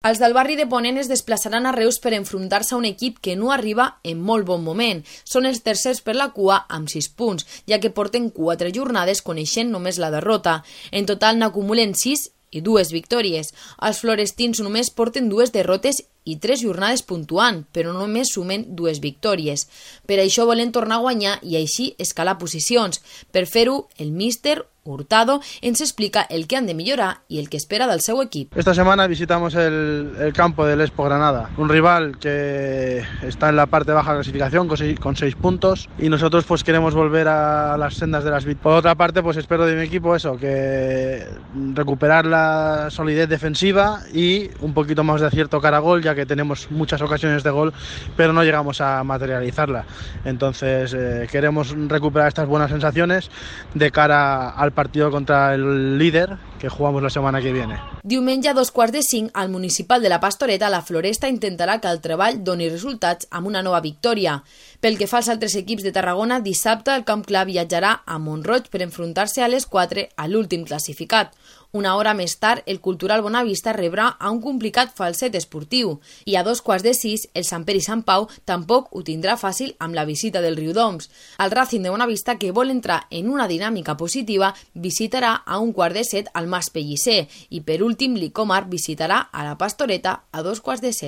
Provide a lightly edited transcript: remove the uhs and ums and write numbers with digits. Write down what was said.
Els del barri de Ponent es desplaçaran a Reus per enfrontar-se a un equip que no arriba en molt bon moment. Són els tercers per la cua amb 6 punts, ja que porten 4 jornades coneixent només la derrota. En total n'acumulen 6 i 2 victòries. Els florestins només porten 2 derrotes i 3 jornades puntuant, però només sumen 2 victòries. Per això volen tornar a guanyar i així escalar posicions. Per fer-ho, el míster Hurtado ens explica el que han de millorar y el que espera del seu equipo. Esta semana visitamos el campo del Expo Granada, un rival que está en la parte baja de la clasificación con 6 puntos y nosotros pues queremos volver a las sendas de las victorias. Por otra parte, pues espero de mi equipo eso, que recuperar la solidez defensiva y un poquito más de acierto cara a gol, ya que tenemos muchas ocasiones de gol, pero no llegamos a materializarla. Entonces queremos recuperar estas buenas sensaciones de cara al partido contra el líder que jugamos la setmana que viene. Diumenge a 2:45 al municipal de la Pastoreta, la Floresta intentarà que el treball doni resultats amb una nova victòria. Pel que fa als altres equips de Tarragona, dissabte el Camp Clar viatjarà a Mont-roig per enfrontar-se a les 4 a l'últim classificat. Una hora més tard, el Cultural Bonavista rebrà a un complicat Falset esportiu i a 2:15 el Sant Pere i Sant Pau tampoc ho tindrà fàcil amb la visita del Riudoms. El Racing de Bonavista, que vol entrar en una dinàmica positiva, visitarà a 1:15 al Mas Pellicer i per últim l'Icomar visitarà a la Pastoreta a 2:15.